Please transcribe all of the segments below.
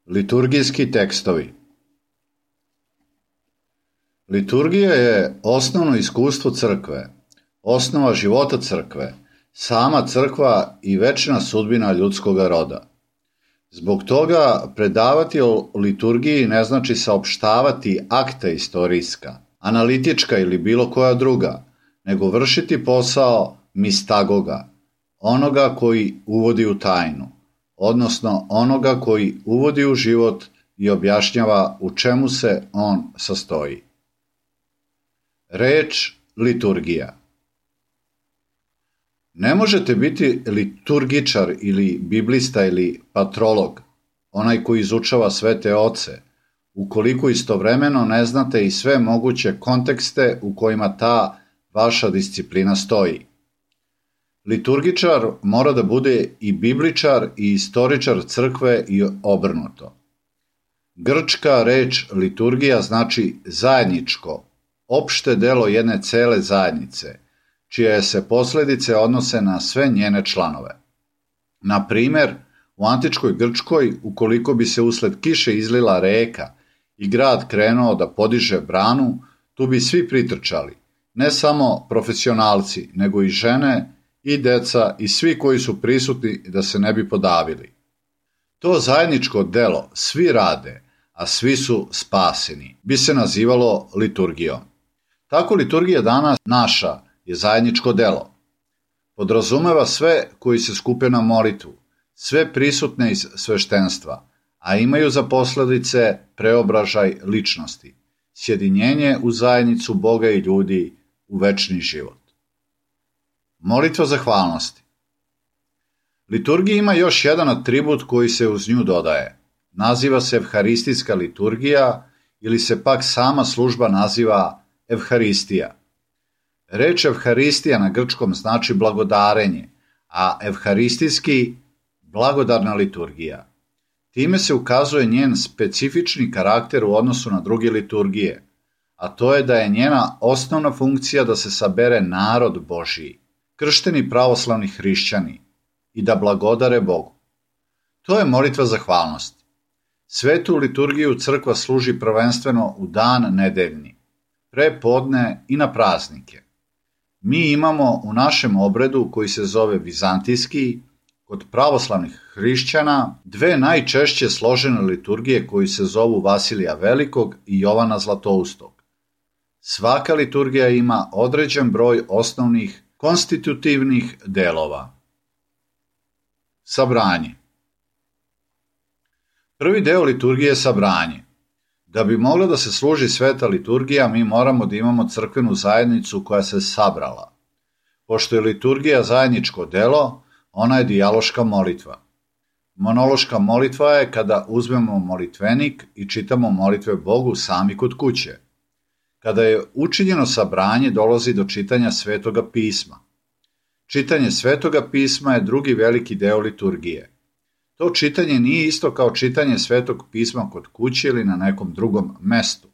Liturgijski tekstovi. Liturgija je osnovno iskustvo crkve, osnova života crkve, sama crkva i večna sudbina ljudskoga roda. Zbog toga predavati o liturgiji ne znači saopštavati akta istorijska, analitička ili bilo koja druga, nego vršiti posao mistagoga, onoga koji uvodi u tajnu, odnosno onoga koji uvodi u život i objašnjava u čemu se on sastoji. Reč liturgija. Ne možete biti liturgičar ili biblista ili patrolog, onaj koji izučava svete oce, ukoliko istovremeno ne znate i sve moguće kontekste u kojima ta vaša disciplina stoji. Liturgičar mora da bude i bibličar i istoričar crkve i obrnuto. Grčka reč liturgija znači zajedničko, opšte delo jedne cele zajednice, čije se posledice odnose na sve njene članove. Na primer, u antičkoj Grčkoj, ukoliko bi se usled kiše izlila reka i grad krenuo da podiže branu, tu bi svi pritrčali, ne samo profesionalci, nego i žene i deca i svi koji su prisutni da se ne bi podavili. To zajedničko delo svi rade, a svi su spaseni, bi se nazivalo liturgijom. Tako liturgija danas naša je zajedničko delo. Podrazumeva sve koji se skupe na molitvu, sve prisutne iz sveštenstva, a imaju za posledice preobražaj ličnosti, sjedinjenje u zajednicu Boga i ljudi u večni život. Molitva zahvalnosti. Liturgija ima još jedan atribut koji se uz nju dodaje. Naziva se evharistijska liturgija ili se pak sama služba naziva evharistija. Reč evharistija na grčkom znači blagodarenje, a evharistijski blagodarna liturgija. Time se ukazuje njen specifični karakter u odnosu na druge liturgije, a to je da je njena osnovna funkcija da se sabere narod Božiji, kršteni pravoslavni hrišćani, i da blagodare Bogu. To je molitva zahvalnosti. Svetu liturgiju crkva služi prvenstveno u dan nedeljni, pre podne i na praznike. Mi imamo u našem obredu, koji se zove vizantijski, kod pravoslavnih hrišćana, dve najčešće složene liturgije koji se zovu Vasilija Velikog i Jovana Zlatoustog. Svaka liturgija ima određen broj osnovnih konstitutivnih delova. Sabranje. Prvi deo liturgije je sabranje. Da bi mogla da se služi sveta liturgija, mi moramo da imamo crkvenu zajednicu koja se sabrala. Pošto je liturgija zajedničko delo, ona je dijaloška molitva. Monološka molitva je kada uzmemo molitvenik i čitamo molitve Bogu sami kod kuće. Kada je učinjeno sabranje, dolazi do čitanja Svetoga pisma. Čitanje Svetoga pisma je drugi veliki deo liturgije. To čitanje nije isto kao čitanje Svetog pisma kod kuće ili na nekom drugom mestu.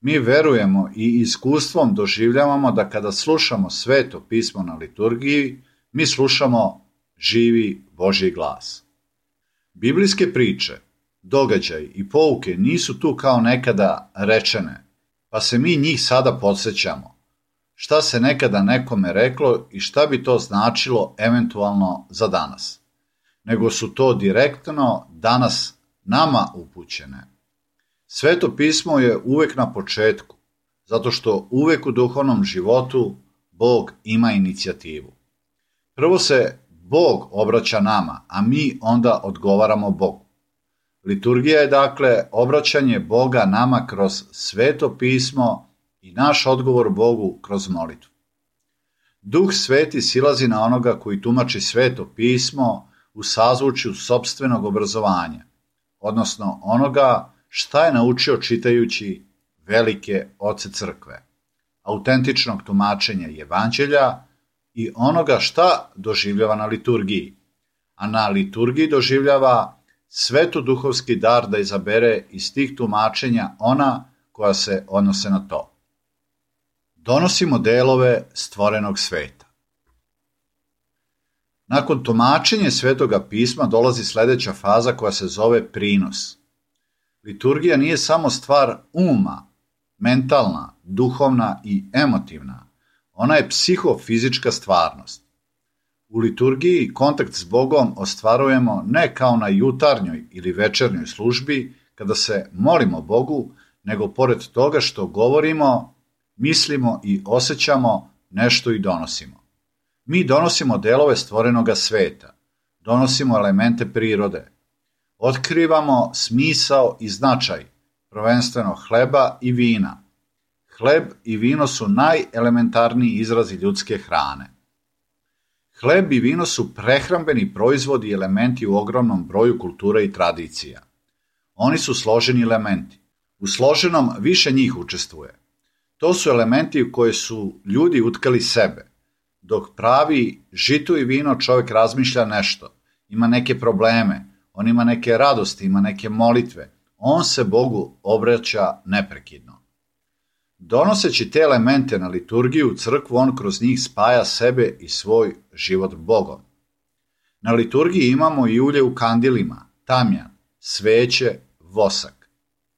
Mi verujemo i iskustvom doživljavamo da kada slušamo Sveto pismo na liturgiji, mi slušamo živi Božji glas. Biblijske priče, događaji i pouke nisu tu kao nekada rečene, pa se mi njih sada podsjećamo. Šta se nekada nekome reklo i šta bi to značilo eventualno za danas. Nego su to direktno danas nama upućene. Sveto pismo je uvek na početku, zato što uvek u duhovnom životu Bog ima inicijativu. Prvo se Bog obraća nama, a mi onda odgovaramo Bogu. Liturgija je dakle obraćanje Boga nama kroz Sveto pismo i naš odgovor Bogu kroz molitvu. Duh Sveti silazi na onoga koji tumači Sveto pismo u sazvučju sopstvenog obrazovanja, odnosno onoga šta je naučio čitajući velike oce crkve, autentičnog tumačenja evanđelja i onoga šta doživljava na liturgiji, a na liturgiji doživljava svetoduhovski dar da izabere iz tih tumačenja ona koja se odnose na to. Donosimo delove stvorenog sveta. Nakon tumačenja Svetoga pisma dolazi sledeća faza koja se zove prinos. Liturgija nije samo stvar uma, mentalna, duhovna i emotivna. Ona je psihofizička stvarnost. U liturgiji kontakt s Bogom ostvarujemo ne kao na jutarnjoj ili večernjoj službi kada se molimo Bogu, nego pored toga što govorimo, mislimo i osjećamo, nešto i donosimo. Mi donosimo delove stvorenoga sveta, donosimo elemente prirode, otkrivamo smisao i značaj, prvenstveno hleba i vina. Hleb i vino su najelementarniji izrazi ljudske hrane. Hleb i vino su prehrambeni proizvodi i elementi u ogromnom broju kultura i tradicija. Oni su složeni elementi. U složenom više njih učestvuje. To su elementi u koje su ljudi utkali sebe. Dok pravi žito i vino čovjek razmišlja nešto, ima neke probleme, on ima neke radosti, ima neke molitve, on se Bogu obraća neprekidno. Donoseći te elemente na liturgiju u crkvu, on kroz njih spaja sebe i svoj život Bogom. Na liturgiji imamo i ulje u kandilima, tamjan, sveće, vosak.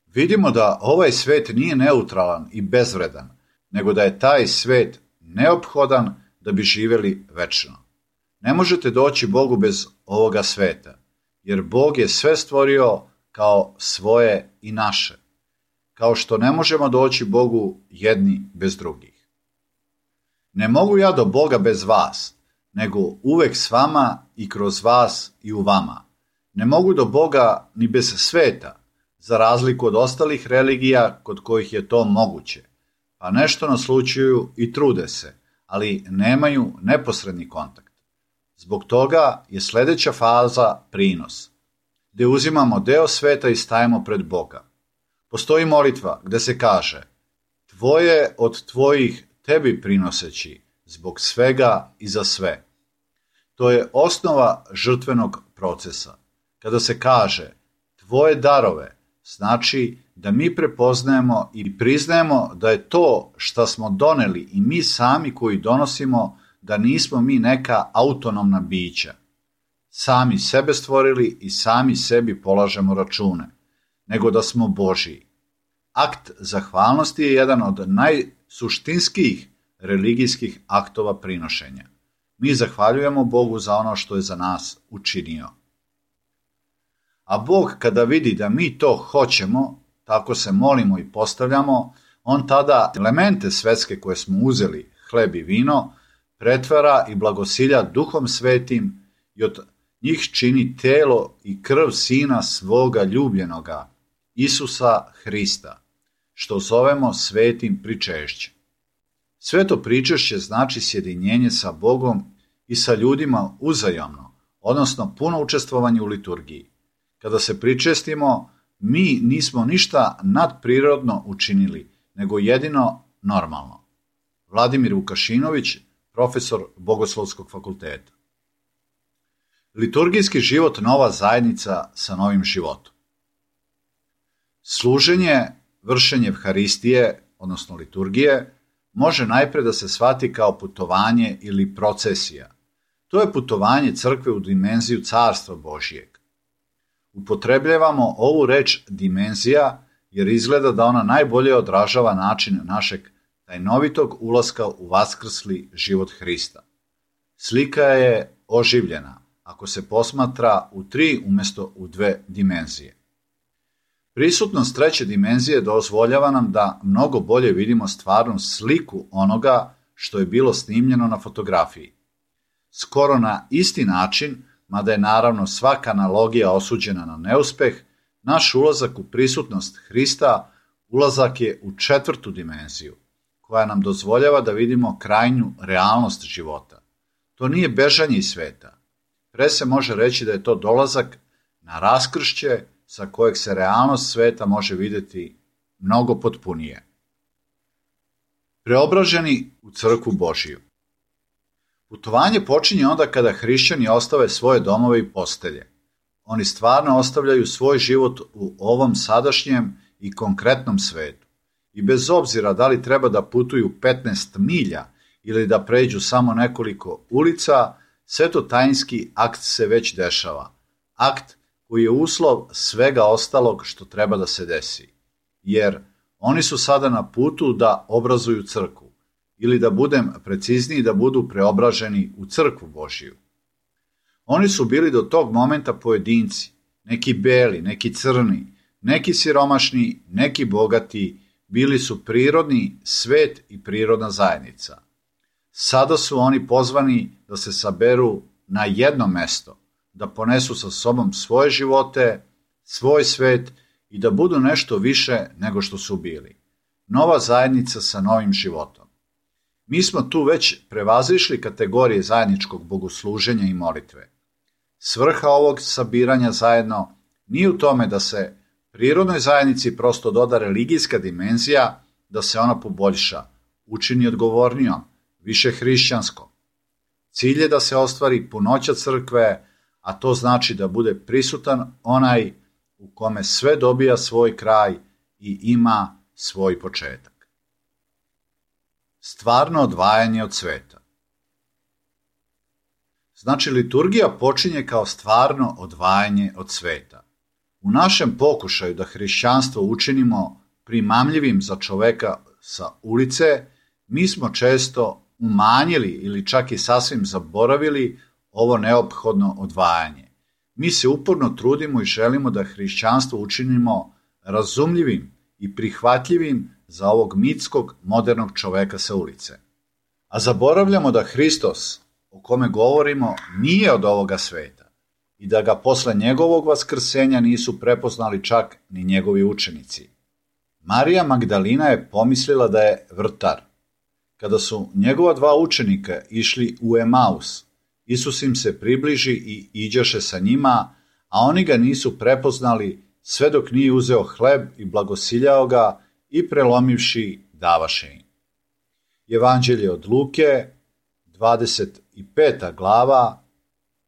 Vidimo da ovaj svet nije neutralan i bezvredan, nego da je taj svet neophodan da bi živjeli večno. Ne možete doći Bogu bez ovoga sveta, jer Bog je sve stvorio kao svoje i naše, kao što ne možemo doći Bogu jedni bez drugih. Ne mogu ja do Boga bez vas, nego uvek s vama i kroz vas i u vama. Ne mogu do Boga ni bez sveta, za razliku od ostalih religija kod kojih je to moguće, pa nešto naslućuju i trude se, ali nemaju neposredni kontakt. Zbog toga je sljedeća faza prinos, gdje uzimamo deo sveta i stajemo pred Boga. Postoji molitva gdje se kaže: tvoje od tvojih tebi prinoseći, zbog svega i za sve. To je osnova žrtvenog procesa. Kada se kaže tvoje darove, znači da mi prepoznajemo i priznajemo da je to što smo doneli i mi sami koji donosimo, da nismo mi neka autonomna bića. Sami sebe stvorili i sami sebi polažemo račune, nego da smo Božiji. Akt zahvalnosti je jedan od najsuštinskijih religijskih aktova prinošenja. Mi zahvaljujemo Bogu za ono što je za nas učinio. A Bog kada vidi da mi to hoćemo, tako se molimo i postavljamo, on tada elemente svetske koje smo uzeli, hleb i vino, pretvara i blagosilja Duhom Svetim i od njih čini telo i krv Sina svoga ljubljenoga, Isusa Hrista, što zovemo svetim pričešćem. Sveto pričešće znači sjedinjenje sa Bogom i sa ljudima uzajamno, odnosno puno učestvovanje u liturgiji. Kada se pričestimo, mi nismo ništa nadprirodno učinili, nego jedino normalno. Vladimir Vukašinović, profesor Bogoslovskog fakulteta. Liturgijski život nova zajednica sa novim životom. Služenje, vršenje Evharistije, odnosno liturgije, može najpre da se shvati kao putovanje ili procesija. To je putovanje crkve u dimenziju Carstva Božijeg. Upotrebljavamo ovu reč dimenzija jer izgleda da ona najbolje odražava način našeg tajnovitog ulaska u vaskrsli život Hrista. Slika je oživljena ako se posmatra u 3 umjesto u 2 dimenzije. Prisutnost treće dimenzije dozvoljava nam da mnogo bolje vidimo stvarnu sliku onoga što je bilo snimljeno na fotografiji. Skoro na isti način, mada je naravno svaka analogija osuđena na neuspeh, naš ulazak u prisutnost Hrista ulazak je u 4. dimenziju, koja nam dozvoljava da vidimo krajnju realnost života. To nije bežanje iz sveta. Pre se može reći da je to dolazak na raskršće sa kojeg se realnost sveta može vidjeti mnogo potpunije. Preobraženi u crkvu Božiju. Putovanje počinje onda kada hrišćani ostave svoje domove i postelje. Oni stvarno ostavljaju svoj život u ovom sadašnjem i konkretnom svetu. I bez obzira da li treba da putuju 15 milja ili da pređu samo nekoliko ulica, svetotajinski akt se već dešava. Akt koji je uslov svega ostalog što treba da se desi, jer oni su sada na putu da obrazuju crkvu, ili da budem precizniji, da budu preobraženi u crkvu Božiju. Oni su bili do tog momenta pojedinci, neki beli, neki crni, neki siromašni, neki bogati, bili su prirodni svet i prirodna zajednica. Sada su oni pozvani da se saberu na jedno mesto, da ponesu sa sobom svoje živote, svoj svet i da budu nešto više nego što su bili. Nova zajednica sa novim životom. Mi smo tu već prevazišli kategorije zajedničkog bogosluženja i molitve. Svrha ovog sabiranja zajedno nije u tome da se prirodnoj zajednici prosto doda religijska dimenzija, da se ona poboljša, učini odgovornijom, više hrišćanskom. Cilj je da se ostvari punoća crkve, a to znači da bude prisutan onaj u kome sve dobija svoj kraj i ima svoj početak. Stvarno odvajanje od sveta. Znači, liturgija počinje kao stvarno odvajanje od sveta. U našem pokušaju da hrišćanstvo učinimo primamljivim za čoveka sa ulice, mi smo često umanjili ili čak i sasvim zaboravili ovo neophodno odvajanje. Mi se uporno trudimo i želimo da hrišćanstvo učinimo razumljivim i prihvatljivim za ovog mitskog modernog čoveka sa ulice. A zaboravljamo da Hristos, o kome govorimo, nije od ovoga sveta i da ga posle njegovog vaskrsenja nisu prepoznali čak ni njegovi učenici. Marija Magdalina je pomislila da je vrtar. Kada su njegova dva učenika išli u Emaus, Isus im se približi i iđaše sa njima, a oni ga nisu prepoznali sve dok nije uzeo hleb i blagosiljao ga i prelomivši davaše im. Evanđelje od Luke, 25. glava,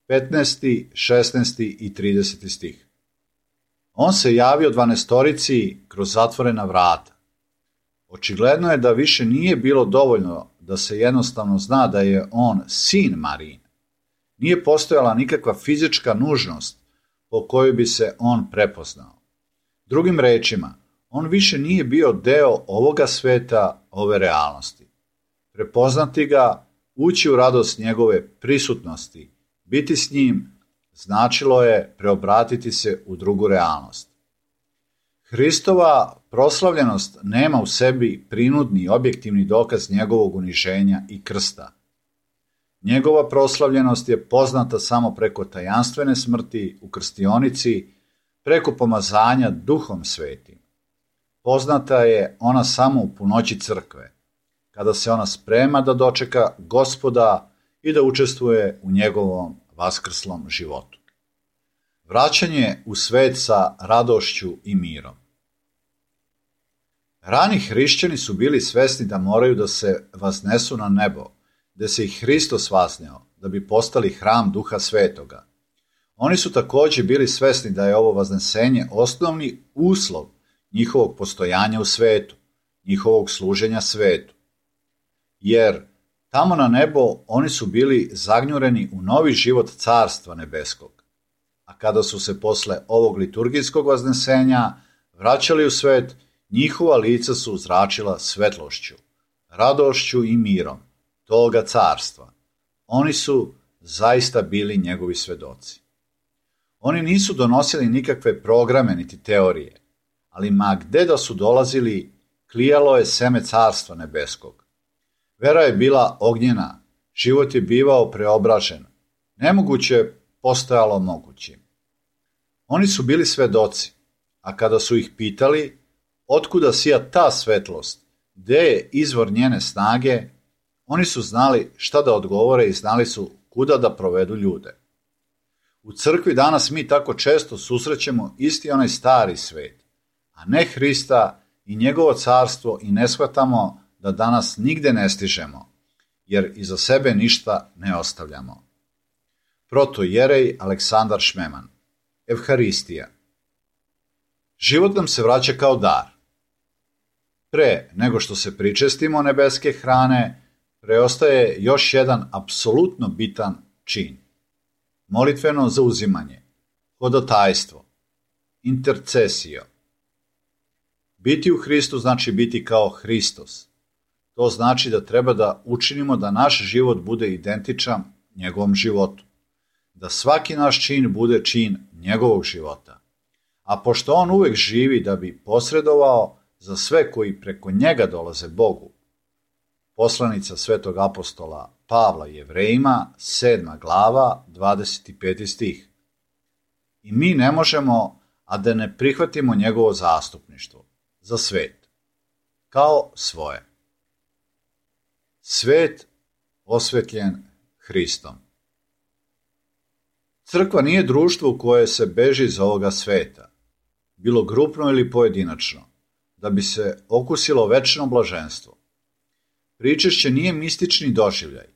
15., 16. i 30. stih. On se javio 12 kroz zatvorena vrata. Očigledno je da više nije bilo dovoljno da se jednostavno zna da je on sin Marijin. Nije postojala nikakva fizička nužnost po kojoj bi se on prepoznao. Drugim rečima, on više nije bio deo ovoga sveta, ove realnosti. Prepoznati ga, ući u radost njegove prisutnosti, biti s njim, značilo je preobratiti se u drugu realnost. Hristova proslavljenost nema u sebi prinudni objektivni dokaz njegovog uniženja i krsta. Njegova proslavljenost je poznata samo preko tajanstvene smrti u krstionici, preko pomazanja Duhom Svetim. Poznata je ona samo u punoći crkve, kada se ona sprema da dočeka Gospoda i da učestvuje u njegovom vaskrslom životu. Vraćanje u svet sa radošću i mirom. Rani hrišćani su bili svesni da moraju da se vaznesu na nebo, gde se i Hristos vazneo, da bi postali hram Duha Svetoga. Oni su takođe bili svesni da je ovo vaznesenje osnovni uslov njihovog postojanja u svetu, njihovog služenja svetu. Jer tamo na nebo oni su bili zagnjureni u novi život Carstva nebeskog. A kada su se posle ovog liturgijskog vaznesenja vraćali u svet, njihova lica su zračila svetlošću, radošću i mirom toga carstva. Oni su zaista bili njegovi svedoci. Oni nisu donosili nikakve programe niti teorije, ali ma gde da su dolazili, klijalo je seme Carstva nebeskog. Vera je bila ognjena, život je bivao preobražen, nemoguće postojalo mogućim. Oni su bili svedoci, a kada su ih pitali otkuda sija ta svetlost, gde je izvor njene snage, oni su znali šta da odgovore i znali su kuda da provedu ljude. U crkvi danas mi tako često susrećemo isti onaj stari svet, a ne Hrista i njegovo carstvo i ne shvatamo da danas nigde ne stižemo, jer iza sebe ništa ne ostavljamo. Protojerej Aleksandar Šmeman. Evharistija. Život nam se vraća kao dar. Pre nego što se pričestimo nebeske hrane, preostaje još jedan apsolutno bitan čin. Molitveno zauzimanje. Hodotajstvo, intercesio. Biti u Hristu znači biti kao Hristos. To znači da treba da učinimo da naš život bude identičan njegovom životu. Da svaki naš čin bude čin njegovog života. A pošto on uvek živi da bi posredovao za sve koji preko njega dolaze Bogu. Poslanica svetog apostola Pavla Jevrejima, 7. glava, 25. stih. I mi ne možemo, a da ne prihvatimo njegovo zastupništvo za svet, kao svoje. Svet osvetljen Hristom. Crkva nije društvo u koje se beži iz ovoga sveta, bilo grupno ili pojedinačno, da bi se okusilo večno blaženstvo. Pričešće nije mistični doživljaj.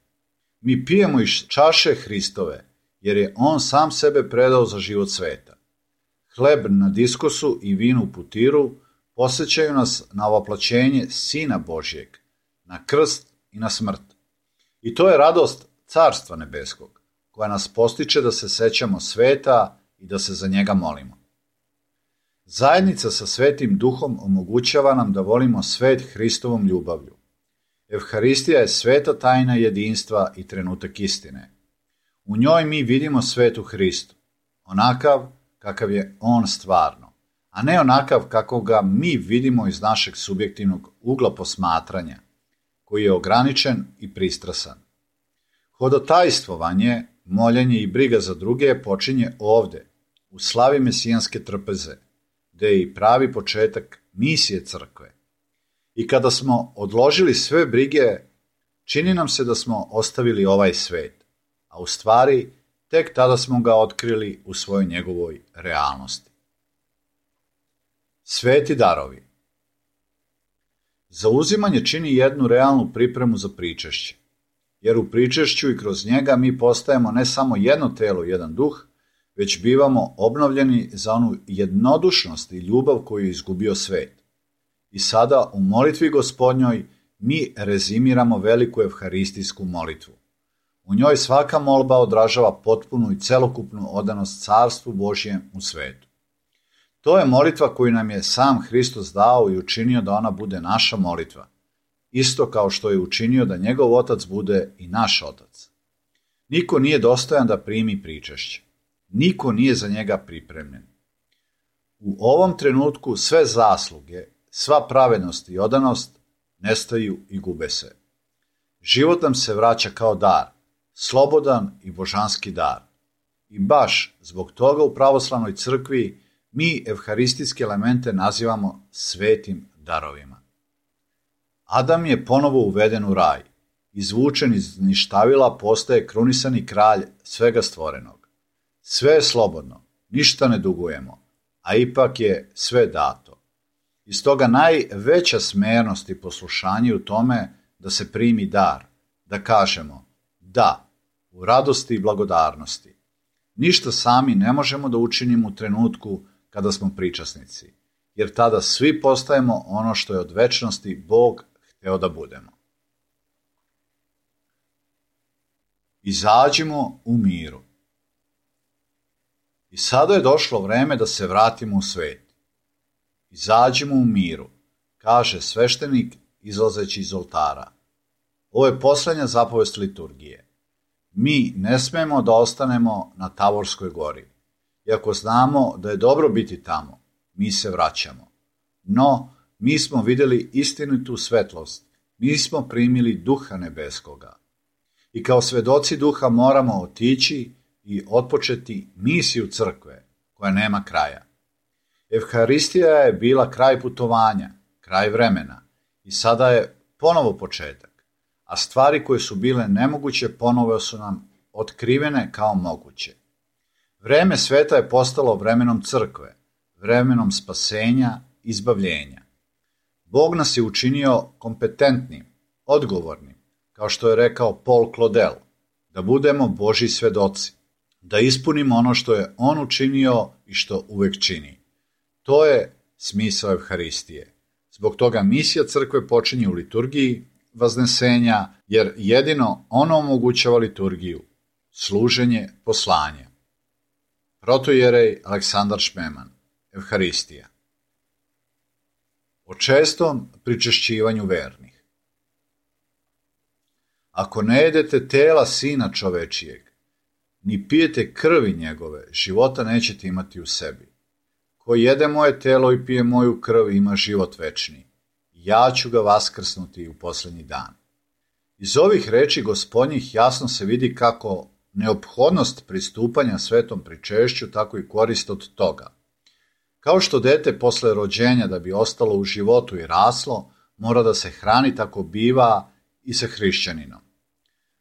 Mi pijemo iz čaše Hristove, jer je on sam sebe predao za život sveta. Hleb na diskosu i vino u putiru podsjećaju nas na ovaplaćenje Sina Božjeg, na krst i na smrt. I to je radost Carstva nebeskog, koja nas postiče da se sećamo sveta i da se za njega molimo. Zajednica sa Svetim Duhom omogućava nam da volimo svet Hristovom ljubavlju. Evharistija je sveta tajna jedinstva i trenutak istine. U njoj mi vidimo svet u Hristu, onakav kakav je on stvarno, a ne onakav kako ga mi vidimo iz našeg subjektivnog ugla posmatranja, koji je ograničen i pristrasan. Hodotajstvovanje, moljenje i briga za druge počinje ovde, u slavi mesijanske trpeze, gde je i pravi početak misije crkve. I kada smo odložili sve brige, čini nam se da smo ostavili ovaj svet, a u stvari tek tada smo ga otkrili u svojoj njegovoj realnosti. Sveti darovi. Zauzimanje čini jednu realnu pripremu za pričešće, jer u pričešću i kroz njega mi postajemo ne samo jedno telo, jedan duh, već bivamo obnovljeni za onu jednodušnost i ljubav koju je izgubio svet. I sada u molitvi Gospodnjoj mi rezimiramo veliku evharistijsku molitvu. U njoj svaka molba odražava potpunu i celokupnu odanost Carstvu Božjem u svetu. To je molitva koju nam je sam Hristos dao i učinio da ona bude naša molitva, isto kao što je učinio da njegov Otac bude i naš Otac. Niko nije dostojan da primi pričešće. Niko nije za njega pripremljen. U ovom trenutku sve zasluge, sva pravednost i odanost nestaju i gube se. Život nam se vraća kao dar, slobodan i božanski dar. I baš zbog toga u pravoslavnoj crkvi mi evharistijske elemente nazivamo svetim darovima. Adam je ponovo uveden u raj. Izvučen iz ništavila postaje krunisani kralj svega stvorenog. Sve je slobodno, ništa ne dugujemo, a ipak je sve dato. Iz toga najveća smernost i poslušanje u tome da se primi dar, da kažemo da, u radosti i blagodarnosti. Ništa sami ne možemo da učinimo u trenutku kada smo pričasnici, jer tada svi postajemo ono što je od večnosti Bog hteo da budemo. Izađimo u miru. I sada je došlo vreme da se vratimo u svet. Izađimo u miru, kaže sveštenik izlazeći iz oltara. Ovo je poslednja zapovest liturgije. Mi ne smemo da ostanemo na Tavorskoj gori. Iako znamo da je dobro biti tamo, mi se vraćamo. No, mi smo videli istinitu svetlost, mi smo primili Duha nebeskoga. I kao svedoci Duha moramo otići i otpočeti misiju crkve, koja nema kraja. Evharistija je bila kraj putovanja, kraj vremena i sada je ponovo početak, a stvari koje su bile nemoguće ponovo su nam otkrivene kao moguće. Vreme sveta je postalo vremenom crkve, vremenom spasenja, izbavljenja. Bog nas je učinio kompetentnim, odgovornim, kao što je rekao Paul Claudel, da budemo Božji svedoci, da ispunimo ono što je on učinio i što uvek čini. To je smisao Evharistije. Zbog toga misija crkve počinje u liturgiji vaznesenja, jer jedino ono omogućava liturgiju, služenje poslanja. Protojerej Aleksandar Šmeman. Evharistija. O čestom pričešćivanju vernih. Ako ne jedete tela Sina čovečijeg, ni pijete krvi njegove, života nećete imati u sebi. Ko jede moje telo i pije moju krv ima život večni. Ja ću ga vaskrsnuti u posljednji dan. Iz ovih reči Gospodnjih jasno se vidi kako neophodnost pristupanja svetom pričešću, tako i korist od toga. Kao što dete posle rođenja da bi ostalo u životu i raslo, mora da se hrani, tako biva i sa hrišćaninom.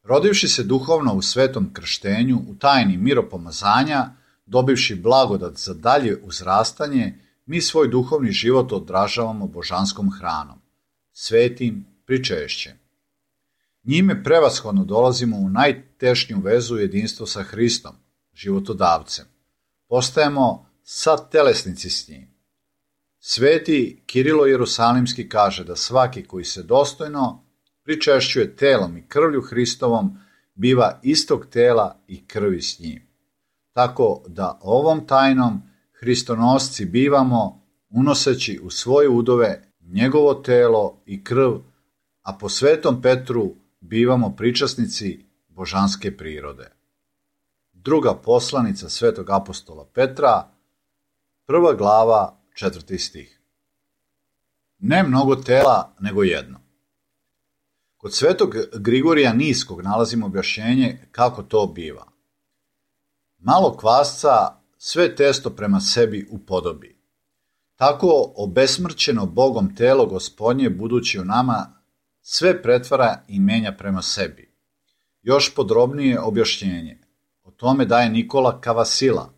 Rodivši se duhovno u svetom krštenju, u tajni miropomazanja, dobivši blagodat za dalje uzrastanje, mi svoj duhovni život odražavamo božanskom hranom, svetim pričešćem. Njime prevashodno dolazimo u najtešnju vezu jedinstvo sa Hristom, životodavcem. Postajemo satelesnici s njim. Sveti Kirilo Jerusalimski kaže da svaki koji se dostojno pričešćuje telom i krvlju Hristovom biva istog tela i krvi s njim. Tako da ovom tajnom hristonosci bivamo unoseći u svoje udove njegovo telo i krv, a po svetom Petru bivamo pričasnici božanske prirode. Druga poslanica svetog apostola Petra, 1. glava, 4. stih. Ne mnogo tela, nego jedno. Kod svetog Grigorija Niskog nalazimo objašnjenje kako to biva. Malo kvasca sve testo prema sebi upodobi. Tako obesmrćeno Bogom telo Gospodnje, budući u nama, sve pretvara i menja prema sebi. Još podrobnije objašnjenje o tome daje Nikola Kavasila,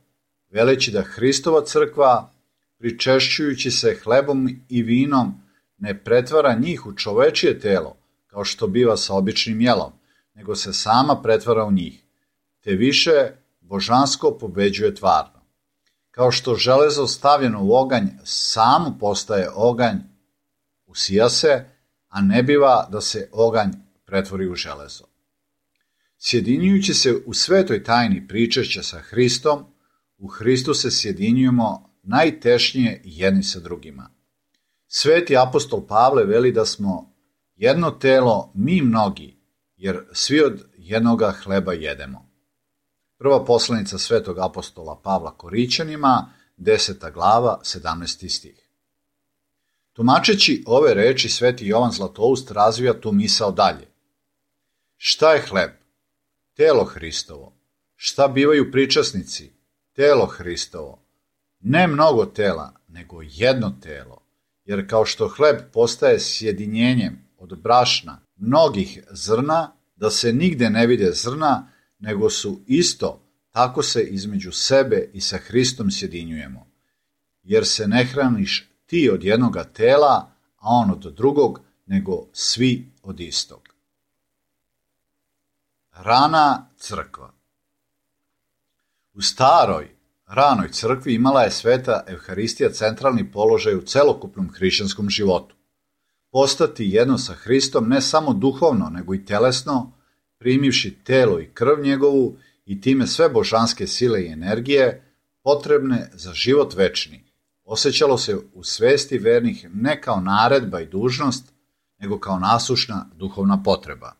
veleći da Hristova crkva, pričešćujući se hlebom i vinom, ne pretvara njih u čovečije telo, kao što biva sa običnim jelom, nego se sama pretvara u njih, te više božansko pobeđuje tvarno. Kao što železo stavljeno u oganj samo postaje oganj, usija se, a ne biva da se oganj pretvori u železo. Sjedinjujući se u svetoj tajni pričešća sa Hristom, u Hristu se sjedinjujemo najtešnije jedni sa drugima. Sveti apostol Pavle veli da smo jedno telo mi mnogi, jer svi od jednoga hleba jedemo. Prva poslanica svetog apostola Pavla Korićanima, 10. glava, 17. stih. Tumačeći ove reči, sveti Jovan Zlatoust razvija tu misao dalje. Šta je hleb? Telo Hristovo. Šta bivaju pričasnici? Telo Hristovo. Ne mnogo tela, nego jedno telo. Jer kao što hleb postaje sjedinjenjem od brašna mnogih zrna, da se nigde ne vide zrna, nego su isto, tako se između sebe i sa Hristom sjedinjujemo. Jer se ne hraniš ti od jednoga tela, a on od drugog, nego svi od istog. Rana crkva. U staroj, ranoj crkvi imala je sveta Evharistija centralni položaj u celokupnom hrišćanskom životu. Postati jedno sa Hristom ne samo duhovno, nego i telesno, primivši telo i krv njegovu i time sve božanske sile i energije potrebne za život večni, osjećalo se u svesti vernih ne kao naredba i dužnost, nego kao nasušna duhovna potreba.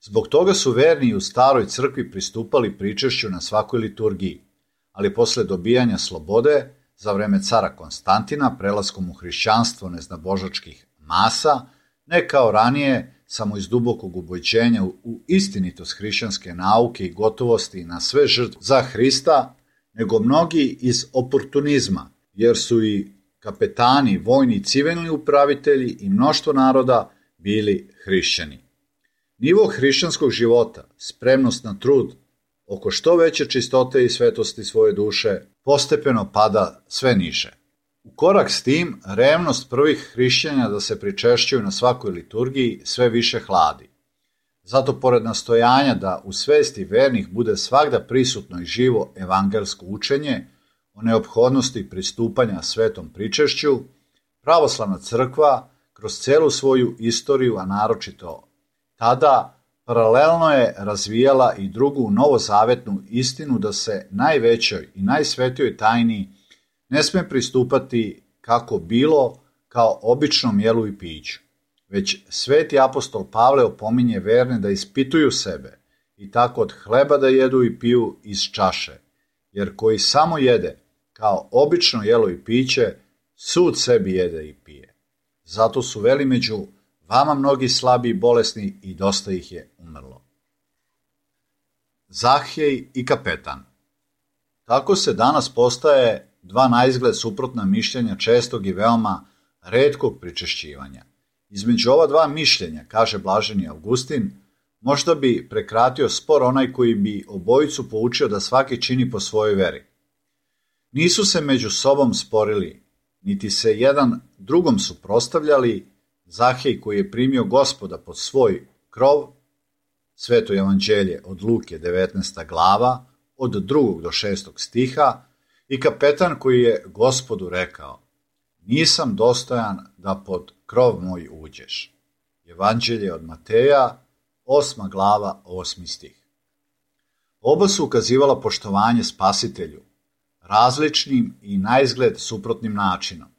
Zbog toga su verni u staroj crkvi pristupali pričešću na svakoj liturgiji, ali posle dobijanja slobode, za vreme cara Konstantina, prelaskom u hrišćanstvo neznabožačkih masa, ne kao ranije, samo iz dubokog ubojđenja u istinitost hrišćanske nauke i gotovosti na sve žrtve za Hrista, nego mnogi iz oportunizma, jer su i kapetani, vojni i civilni upravitelji i mnoštvo naroda bili hrišćani. Nivo hrišćanskog života, spremnost na trud, oko što veće čistote i svetosti svoje duše, postepeno pada sve niže. U korak s tim, revnost prvih hrišćana da se pričešćuju na svakoj liturgiji sve više hladi. Zato, pored nastojanja da u svesti vernih bude svagda prisutno i živo evangelsko učenje o neophodnosti pristupanja svetom pričešću, pravoslavna crkva kroz celu svoju istoriju, a naročito tada Paralelno je razvijala i drugu novozavetnu istinu da se najvećoj i najsvetijoj tajni ne sme pristupati kako bilo kao običnom jelu i piću, već sveti apostol Pavle opominje verne da ispituju sebe i tako od hleba da jedu i piju iz čaše, jer koji samo jede kao obično jelo i piće, sud sebi jede i pije. Zato su veli među vama mnogi slabi i bolesni i dosta ih je umrlo. Zahej i kapetan. Tako se danas postaje dva naizgled suprotna mišljenja čestog i veoma retkog pričešćivanja. Između ova dva mišljenja, kaže blaženi Augustin, možda bi prekratio spor onaj koji bi obojicu poučio da svaki čini po svojoj veri. Nisu se među sobom sporili, niti se jedan drugom suprotstavljali. Zahej koji je primio Gospoda pod svoj krov, Sveto evanđelje od Luke 19. glava, od 2. do 6. stiha, i kapetan koji je Gospodu rekao: nisam dostojan da pod krov moj uđeš. Evanđelje od Mateja, 8. glava, 8. stih. Oba su ukazivala poštovanje Spasitelju, različnim i naizgled suprotnim načinom.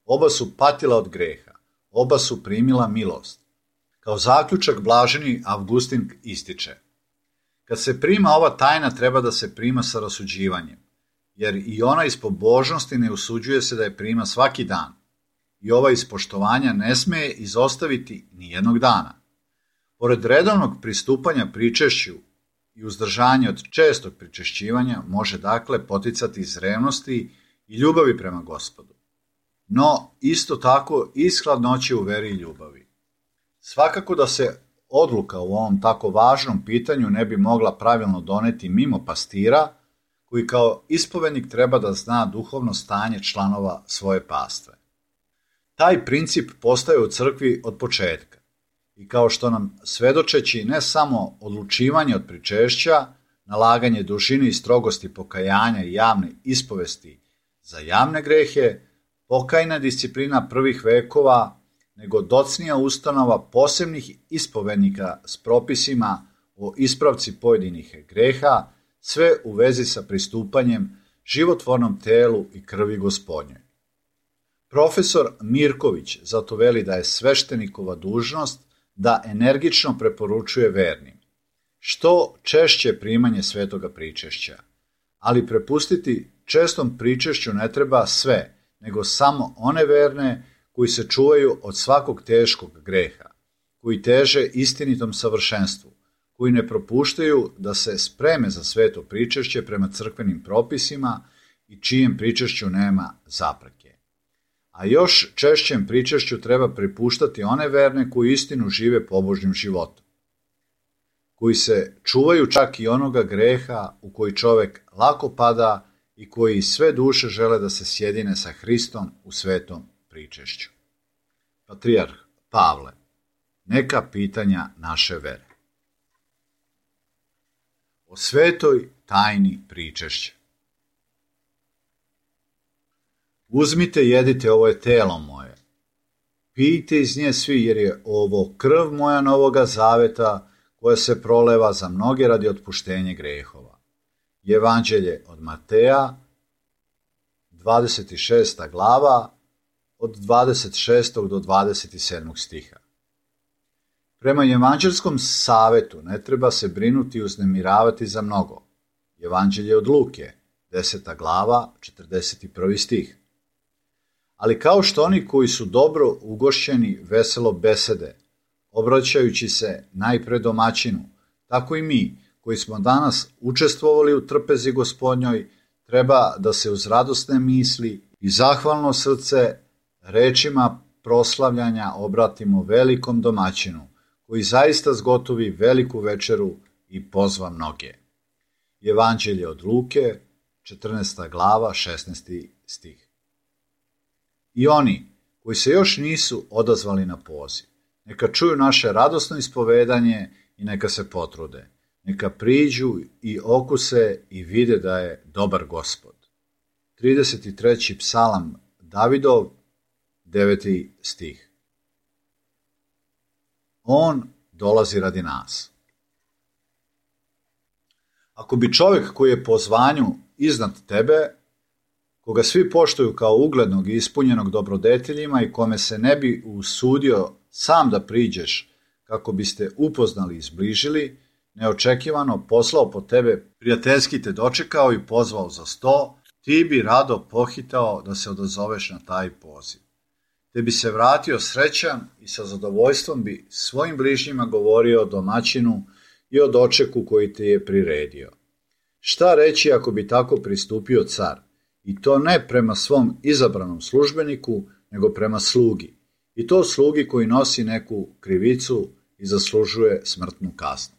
Oba su patila od greha, oba su primila milost. Kao zaključak blaženi Augustin ističe: kad se prima ova tajna, treba da se prima sa rasuđivanjem, jer i ona iz pobožnosti ne usuđuje se da je prima svaki dan, i ova iz poštovanja ne sme izostaviti ni jednog dana. Pored redovnog pristupanja pričešću i uzdržanja od čestog pričešćivanja može dakle poticati iz revnosti i ljubavi prema Gospodu. No, isto tako iz hladnoće u veri i ljubavi. Svakako da se odluka u ovom tako važnom pitanju ne bi mogla pravilno doneti mimo pastira, koji kao ispovednik treba da zna duhovno stanje članova svoje pastve. Taj princip postaje u crkvi od početka i kao što nam svedočeći ne samo odlučivanje od pričešća, nalaganje dužine i strogosti pokajanja i javne ispovesti za javne grehe, pokajna disciplina prvih vekova, nego docnija ustanova posebnih ispovednika s propisima o ispravci pojedinih greha, sve u vezi sa pristupanjem životvornom telu i krvi Gospodnjoj. Profesor Mirković zato veli da je sveštenikova dužnost da energično preporučuje vernim što češće primanje svetoga pričešća, ali prepustiti čestom pričešću ne treba sve, nego samo one verne koji se čuvaju od svakog teškog greha, koji teže istinitom savršenstvu, koji ne propuštaju da se spreme za sveto pričešće prema crkvenim propisima i čijem pričešću nema zapreke. A još češćem pričešću treba prepuštati one verne koji istinu žive pobožnim životom, koji se čuvaju čak i onoga greha u koji čovek lako pada i koji sve duše žele da se sjedine sa Hristom u svetom pričešću. Patrijarh Pavle, neka pitanja naše vere. O svetoj tajni pričešća. Uzmite, jedite, ovo je telo moje. Pijte iz nje svi, jer je ovo krv moja novoga zaveta, koja se proleva za mnoge radi otpuštenja grehova. Evanđelje od Mateja, 26. glava, od 26. do 27. stiha. Prema evanđelskom savetu ne treba se brinuti i uznemiravati za mnogo. Evanđelje od Luke, 10. glava, 41. stih. Ali kao što oni koji su dobro ugošćeni veselo besede, obraćajući se najpre domaćinu, tako i mi, koji smo danas učestvovali u trpezi Gospodnjoj, treba da se uz radosne misli i zahvalno srce rečima proslavljanja obratimo velikom domaćinu, koji zaista zgotovi veliku večeru i pozva mnoge. Evanđelje od Luke, 14. glava, 16. stih. I oni koji se još nisu odazvali na poziv, neka čuju naše radosno ispovedanje i neka se potrude. Neka priđu i okuse i vide da je dobar Gospod. 33. psalam Davidov, 9. stih. On dolazi radi nas. Ako bi čovjek koji je po zvanju iznad tebe, koga svi poštuju kao uglednog i ispunjenog dobrodeteljima i kome se ne bi usudio sam da priđeš kako biste upoznali i zbližili, neočekivano poslao po tebe, prijateljski te dočekao i pozvao za sto, ti bi rado pohitao da se odazoveš na taj poziv. Te bi se vratio srećan i sa zadovoljstvom bi svojim bližnjima govorio o domaćinu i o dočeku koji te je priredio. Šta reći ako bi tako pristupio car? I to ne prema svom izabranom službeniku, nego prema slugi. I to slugi koji nosi neku krivicu i zaslužuje smrtnu kaznu.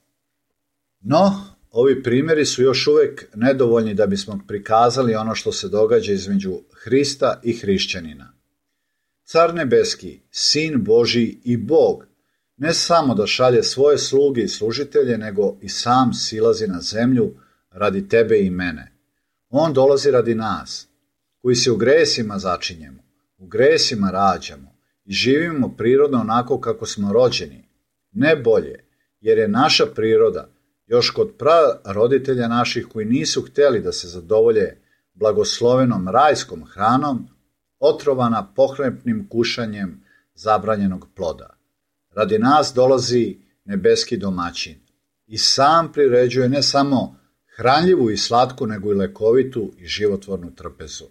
No, ovi primjeri su još uvijek nedovoljni da bismo prikazali ono što se događa između Hrista i hrišćanina. Car nebeski, Sin Božji i Bog, ne samo da šalje svoje sluge i služitelje, nego i sam silazi na zemlju radi tebe i mene. On dolazi radi nas, koji se u gresima začinjemo, u gresima rađamo i živimo prirodno onako kako smo rođeni, ne bolje, jer je naša priroda još kod praroditelja naših koji nisu htjeli da se zadovolje blagoslovenom rajskom hranom, otrovana pohlepnim kušanjem zabranjenog ploda. Radi nas dolazi nebeski domaćin i sam priređuje ne samo hranljivu i slatku, nego i lekovitu i životvornu trpezu.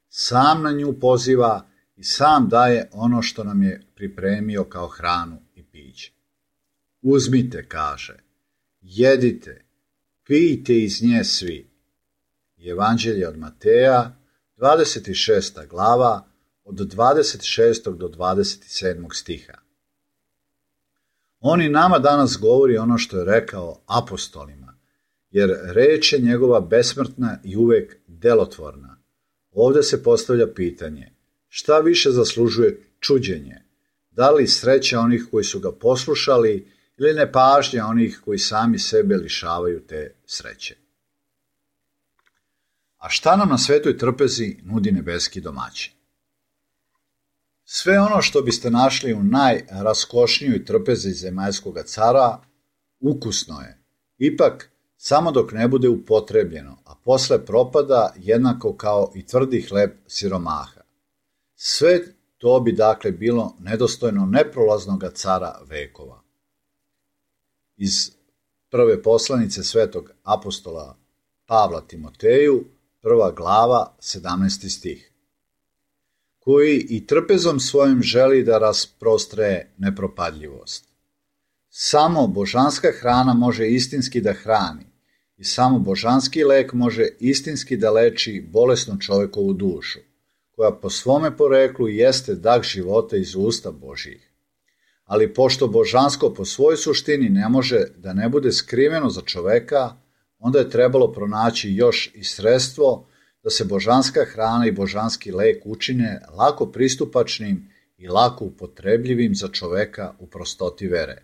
Sam na nju poziva i sam daje ono što nam je pripremio kao hranu i piće. Uzmite, kaže, jedite, pijte iz nje svi. Evanđelje od Mateja, 26. glava, od 26. do 27. stiha. On i nama danas govori ono što je rekao apostolima, jer reč je njegova besmrtna i uvek delotvorna. Ovdje se postavlja pitanje, šta više zaslužuje čuđenje? Da li sreća onih koji su ga poslušali ili nepažnja onih koji sami sebe lišavaju te sreće? A šta nam na svetoj trpezi nudi nebeski domaćin? Sve ono što biste našli u najraskošnijoj trpezi zemaljskoga cara, ukusno je, ipak samo dok ne bude upotrebljeno, a posle propada jednako kao i tvrdi hleb siromaha. Sve to bi dakle bilo nedostojno neprolaznog cara vekova. Iz prve poslanice svetog apostola Pavla Timoteju, 1. glava, 17. stih, koji i trpezom svojim želi da rasprostre nepropadljivost. Samo božanska hrana može istinski da hrani i samo božanski lek može istinski da leči bolesnu čovjekovu dušu, koja po svome poreklu jeste dah života iz usta Božjih. Ali pošto božansko po svojoj suštini ne može da ne bude skriveno za čoveka, onda je trebalo pronaći još i sredstvo da se božanska hrana i božanski lek učine lako pristupačnim i lako upotrebljivim za čoveka u prostoti vere.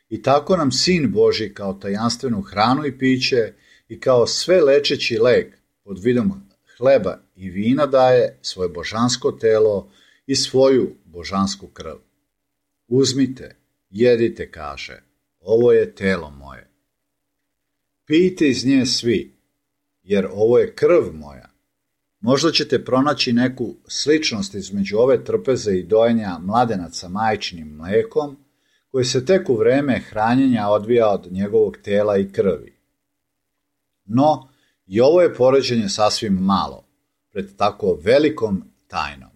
I tako nam Sin Božji kao tajanstvenu hranu i piće i kao sve lečeći lek pod vidom hleba i vina daje svoje božansko telo i svoju božansku krv. Uzmite, jedite, kaže, ovo je telo moje. Pijte iz nje svi, jer ovo je krv moja. Možda ćete pronaći neku sličnost između ove trpeze i dojenja mladenaca majčinim mlekom, koji se tek u vreme hranjenja odvija od njegovog tela i krvi. No, i ovo je poređenje sasvim malo, pred tako velikom tajnom.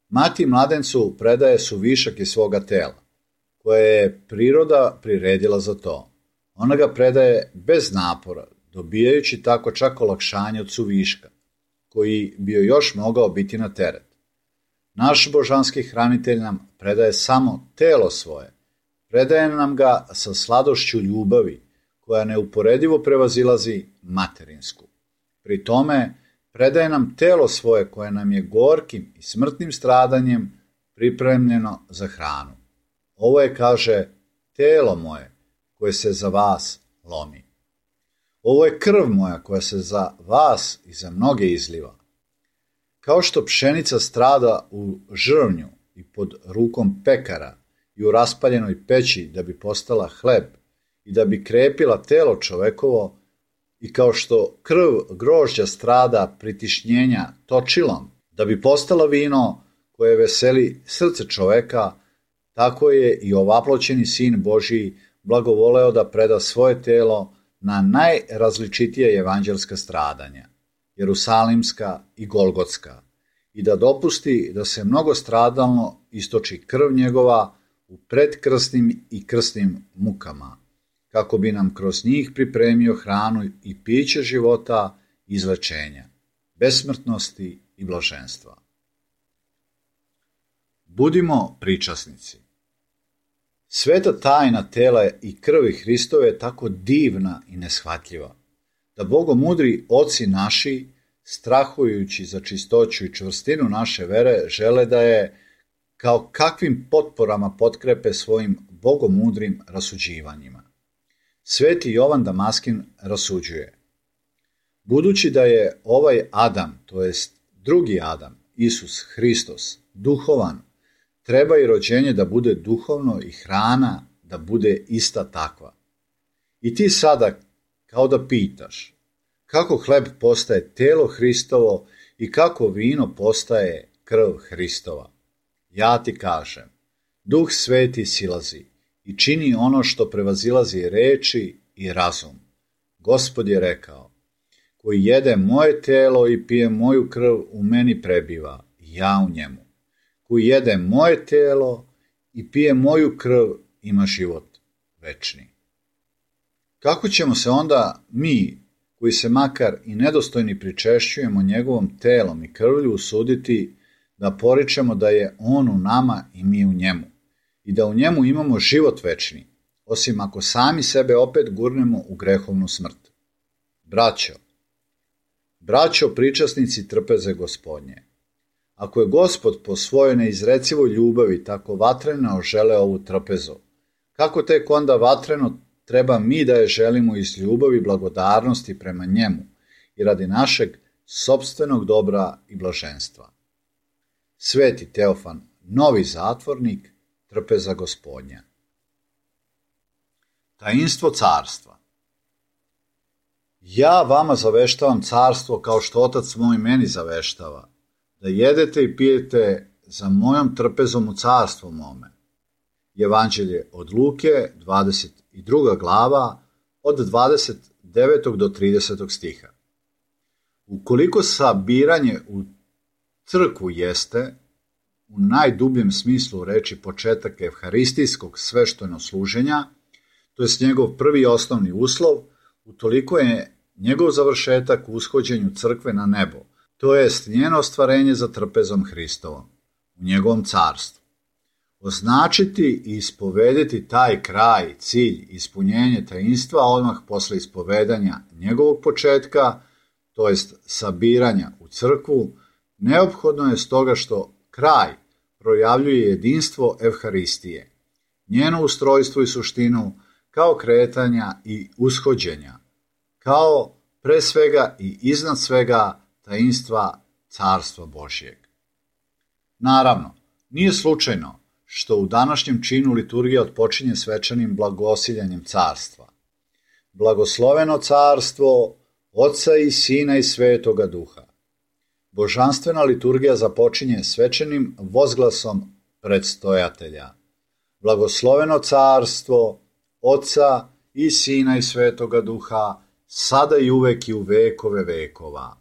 Mati mladencu predaje su višak iz svoga tela, koje je priroda priredila za to. Ona ga predaje bez napora, dobijajući tako čak olakšanje od suviška, koji bi joj još mogao biti na teret. Naš božanski hranitelj nam predaje samo telo svoje, predaje nam ga sa sladošću ljubavi, koja neuporedivo prevazilazi materinsku. Pri tome, predaje nam telo svoje koje nam je gorkim i smrtnim stradanjem pripremljeno za hranu. Ovo je, kaže, telo moje koje se za vas lomi. Ovo je krv moja koja se za vas i za mnoge izliva. Kao što pšenica strada u žrvnju i pod rukom pekara i u raspaljenoj peći da bi postala hleb i da bi krepila telo čovekovo, I kao što krv grožđa strada pritišnjenja točilom, da bi postala vino koje veseli srce čoveka, tako je i ovaploćeni Sin Božiji blagovoleo da preda svoje telo na najrazličitije evanđelska stradanja, jerusalimska i golgotska, i da dopusti da se mnogostradalno istoči krv njegova u predkrsnim i krsnim mukama, kako bi nam kroz njih pripremio hranu i piće života i izlečenja, besmrtnosti i blaženstva. Budimo pričasnici. Sveta tajna tela i krvi Hristove je tako divna i neshvatljiva, da bogomudri oci naši, strahujući za čistoću i čvrstinu naše vere, žele da je kao kakvim potporama potkrepe svojim bogomudrim rasuđivanjima. Sveti Jovan Damaskin rasuđuje: budući da je ovaj Adam, to jest drugi Adam, Isus Hristos, duhovan, treba i rođenje da bude duhovno i hrana da bude ista takva. I ti sada kao da pitaš, kako hleb postaje telo Hristovo i kako vino postaje krv Hristova. Ja ti kažem, Duh Sveti silazi i čini ono što prevazilazi reči i razum. Gospod je rekao: koji jede moje telo i pije moju krv, u meni prebiva, i ja u njemu. Koji jede moje telo i pije moju krv, ima život večni. Kako ćemo se onda mi, koji se makar i nedostojni pričešćujemo njegovom telom i krvlju, usuditi da poričemo da je on u nama i mi u njemu, i da u njemu imamo život večni, osim ako sami sebe opet gurnemo u grehovnu smrt? Braćo pričasnici trpeze Gospodnje, ako je Gospod po svojoj neizrecivoj ljubavi tako vatreno želeo ovu trpezu, kako tek onda vatreno treba mi da je želimo iz ljubavi i blagodarnosti prema njemu i radi našeg sopstvenog dobra i blaženstva? Sveti Teofan, novi zatvornik, trpeza Gospodnja. Tainstvo carstva. Ja vama zaveštavam carstvo kao što Otac moj meni zaveštava, da jedete i pijete za mojom trpezom u carstvu mome. Evanđelje od Luke, 22. glava, od 29. do 30. stiha. Ukoliko sabiranje u crkvu jeste, u najdubljem smislu reči, početak evharistijskog sveštenosluženja, to je njegov prvi osnovni uslov, utoliko je njegov završetak u ushođenju crkve na nebo, to jest njeno ostvarenje za trpezom Hristovom, u njegovom carstvu. Označiti i ispovediti taj kraj, cilj, ispunjenje tainstva odmah posle ispovedanja njegovog početka, to jest sabiranja u crkvu, neophodno je stoga što kraj projavljuje jedinstvo evharistije, njeno ustrojstvo i suštinu kao kretanja i ushođenja, kao pre svega i iznad svega tainstva carstva Božjeg. Naravno, nije slučajno što u današnjem činu liturgija otpočinje svečanim blagosiljanjem carstva. Blagosloveno carstvo Oca i Sina i Svetoga Duha. Božanstvena liturgija započinje svečanim vozglasom predstojatelja. Blagosloveno carstvo Oca i Sina i Svetoga Duha, sada i uvek i u vekove vekova.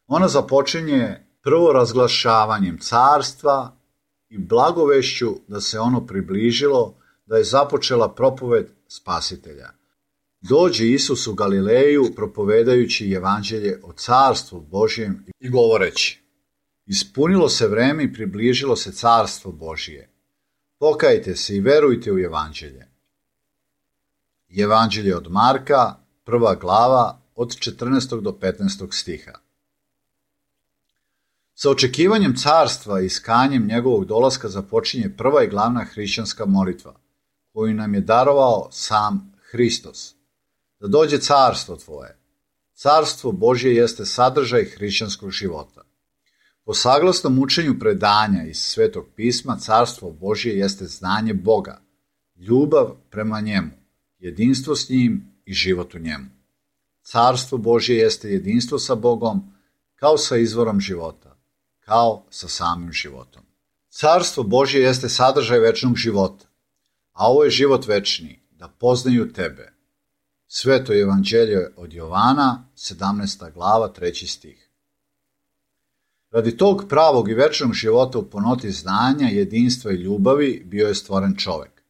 Ona započinje prvo razglašavanjem carstva i blagovešću da se ono približilo, da je započela propoved Spasitelja. Dođe Isus u Galileju propovedajući evanđelje o carstvu Božjem i govoreći: ispunilo se vreme i približilo se carstvo Božije. Pokajte se i verujte u evanđelje. Evanđelje od Marka, 1. glava, od 14. do 15. stiha. Sa očekivanjem carstva i iskanjem njegovog dolaska započinje prva i glavna hrišćanska molitva, koju nam je darovao sam Hristos. Da dođe carstvo tvoje. Carstvo Božje jeste sadržaj hrišćanskog života. Po saglasnom učenju predanja iz Svetog pisma, carstvo Božje jeste znanje Boga, ljubav prema njemu, jedinstvo s njim i život u njemu. Carstvo Božje jeste jedinstvo sa Bogom, kao sa izvorom života, kao sa samim životom. Carstvo Božje jeste sadržaj večnog života, a ovo je život večni, da poznaju tebe. Sveto evanđelje od Jovana, 17. glava, 3. stih. Radi tog pravog i večnog života u punoti znanja, jedinstva i ljubavi bio je stvoren čovek.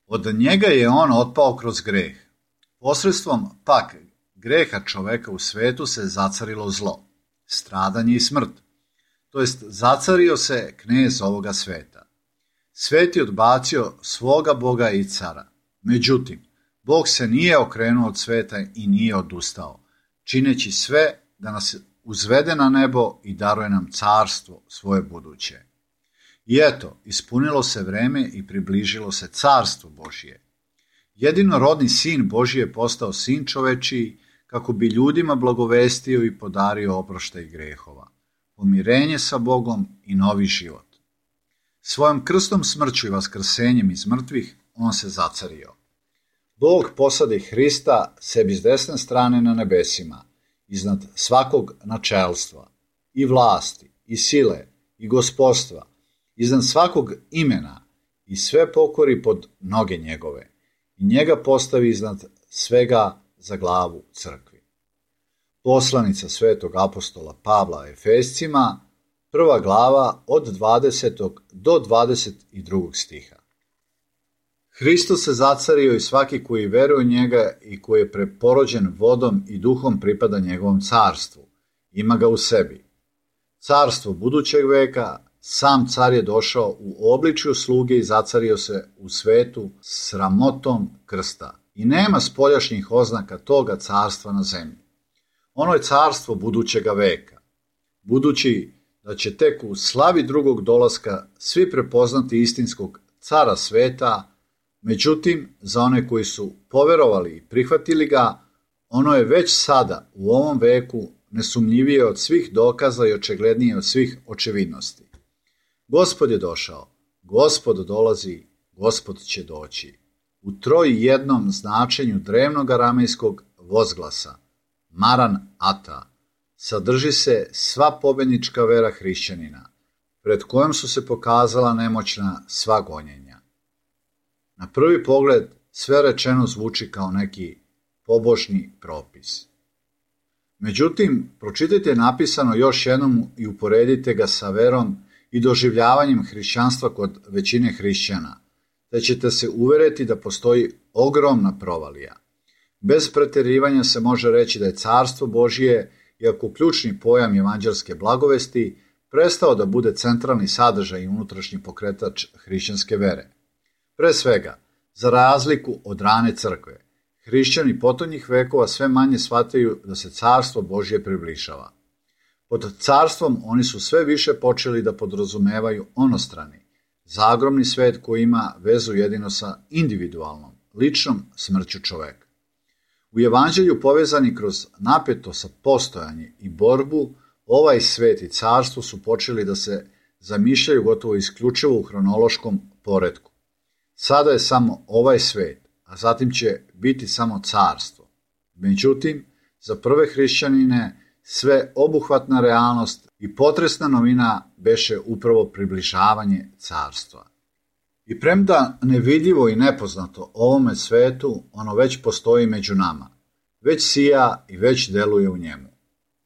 Od njega je on otpao kroz greh. Posredstvom pak greha čoveka u svetu se zacarilo zlo, stradanje i smrt. To jest zacario se knez ovoga sveta. Svet je odbacio svoga Boga i cara. Međutim, Bog se nije okrenuo od sveta i nije odustao, čineći sve da nas uzvede na nebo i daruje nam carstvo svoje buduće. I eto, ispunilo se vreme i približilo se carstvo Božje. Jedinorodni sin Božji je postao sin čovečiji, kako bi ljudima blagovestio i podario oproštaj grehova, pomirenje sa Bogom i novi život. Svojom krstom smrću i vaskrsenjem iz mrtvih on se zacario. Bog posadi Hrista sebi s desne strane na nebesima, iznad svakog načelstva, i vlasti, i sile, i gospodstva, iznad svakog imena, i sve pokori pod noge njegove, i njega postavi iznad svega za glavu crkvi. Poslanica svetog apostola Pavla Efescima, 1. glava od 20. do 22. stiha. Hristos se zacario i svaki koji veruje u njega i koji je preporođen vodom i duhom pripada njegovom carstvu. Ima ga u sebi. Carstvo budućeg veka, sam car je došao u obličju sluge i zacario se u svetu sramotom krsta. I nema spoljašnjih oznaka toga carstva na zemlji. Ono je carstvo budućega veka. Budući da će tek u slavi drugog dolaska svi prepoznati istinskog cara sveta, međutim, za one koji su poverovali i prihvatili ga, ono je već sada, u ovom veku, nesumnjivije od svih dokaza i očiglednije od svih očevidnosti. Gospod je došao, Gospod dolazi, Gospod će doći. U trojjednom značenju drevnog aramejskog vozglasa, Maran Ata, sadrži se sva pobednička vera hrišćanina, pred kojom su se pokazala nemoćna sva gonjenja. Na prvi pogled sve rečeno zvuči kao neki pobožni propis. Međutim, pročitajte napisano još jednom i uporedite ga sa verom i doživljavanjem hrišćanstva kod većine hrišćana, te ćete se uveriti da postoji ogromna provalija. Bez preterivanja se može reći da je carstvo Božje, iako ključni pojam evanđelske blagovesti, prestao da bude centralni sadržaj i unutrašnji pokretač hrišćanske vere. Pre svega, za razliku od rane crkve, hrišćani potonjih vekova sve manje shvataju da se carstvo Božje približava. Pod carstvom oni su sve više počeli da podrazumevaju onostrani, zagromni svet koji ima vezu jedino sa individualnom, ličnom smrću čoveka. U evanđelju povezani kroz napetost postojanje i borbu, ovaj svet i carstvo su počeli da se zamišljaju gotovo isključivo u hronološkom poretku. Sada je samo ovaj svet, a zatim će biti samo carstvo. Međutim, za prve hrišćanine sve obuhvatna realnost i potresna novina beše upravo približavanje carstva. I premda nevidljivo i nepoznato ovome svetu, ono već postoji među nama, već sija i već deluje u njemu.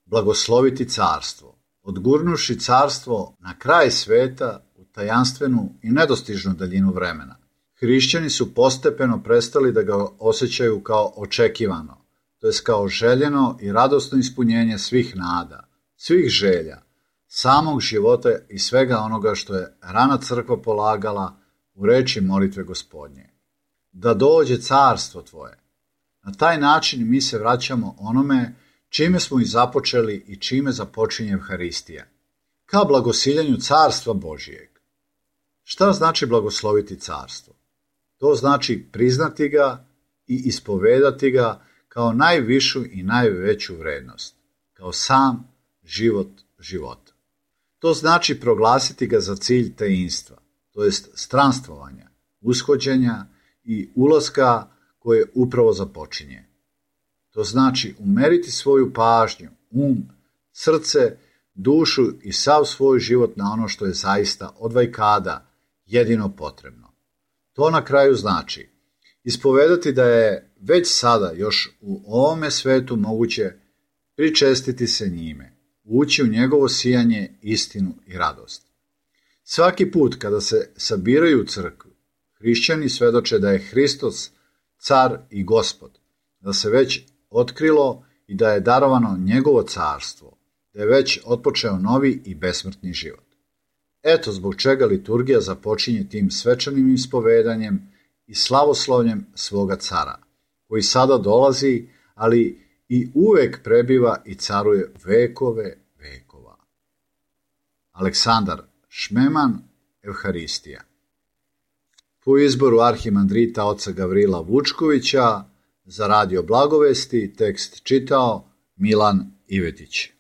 Blagosloviti carstvo, odgurnuši carstvo na kraj sveta u tajanstvenu i nedostižnu daljinu vremena. Hrišćani su postepeno prestali da ga osjećaju kao očekivano, to jest kao željeno i radosno ispunjenje svih nada, svih želja, samog života i svega onoga što je rana crkva polagala u reči molitve Gospodnje. Da dođe carstvo tvoje. Na taj način mi se vraćamo onome čime smo i započeli i čime započinje Evharistija, ka blagosiljenju carstva Božijeg. Šta znači blagosloviti carstvo? To znači priznati ga i ispovedati ga kao najvišu i najveću vrednost, kao sam život života. To znači proglasiti ga za cilj tejinstva, to jest stranstvovanja, ushođenja i ulaska koje upravo započinje. To znači umeriti svoju pažnju, srce, dušu i sav svoj život na ono što je zaista od vajkada jedino potrebno. To na kraju znači ispovedati da je već sada još u ovome svetu moguće pričestiti se njime, ući u njegovo sijanje, istinu i radost. Svaki put kada se sabiraju u crkvu, hrišćani svedoče da je Hristos car i gospod, da se već otkrilo i da je darovano njegovo carstvo, da je već otpočeo novi i besmrtni život. Eto zbog čega liturgija započinje tim svečanim ispovedanjem i slavoslovljem svoga cara, koji sada dolazi, ali i uvek prebiva i caruje vekove vekova. Aleksandar Šmeman, Evharistija. Po izboru arhimandrita oca Gavrila Vučkovića, za Radio Blagovesti tekst čitao Milan Ivetić.